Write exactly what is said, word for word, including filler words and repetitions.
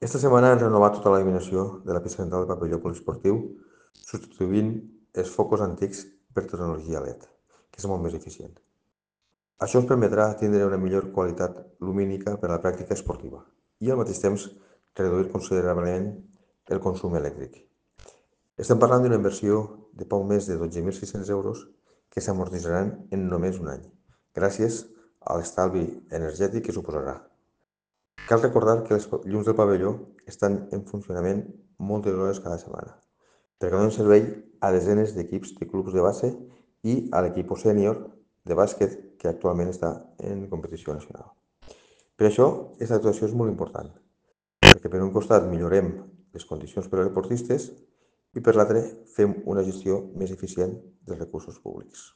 Esta setmana han renovat tota la il·luminació de la pista central del pavelló poliesportiu, substituint els focus antics per tecnologia L E D, que és molt més eficient. Això ens permetrà tindre una millor qualitat lumínica per a la pràctica esportiva i al mateix temps reduir considerablement el consum elèctric. Estem parlant d'una inversió de poc més de dotze mil sis-cents euros que s'amortitzaran en només un any, gràcies a l'estalvi energètic que suposarà. Cal recordar que les llums del pavelló estan en funcionament moltes hores cada setmana, perquè donen servei a desenes d'equips de clubs de base i a l'equip sènior de bàsquet que actualment està en competició nacional. Per això, aquesta actuació és molt important, perquè per un costat millorem les condicions per als esportistes i per l'altre fem una gestió més eficient dels recursos públics.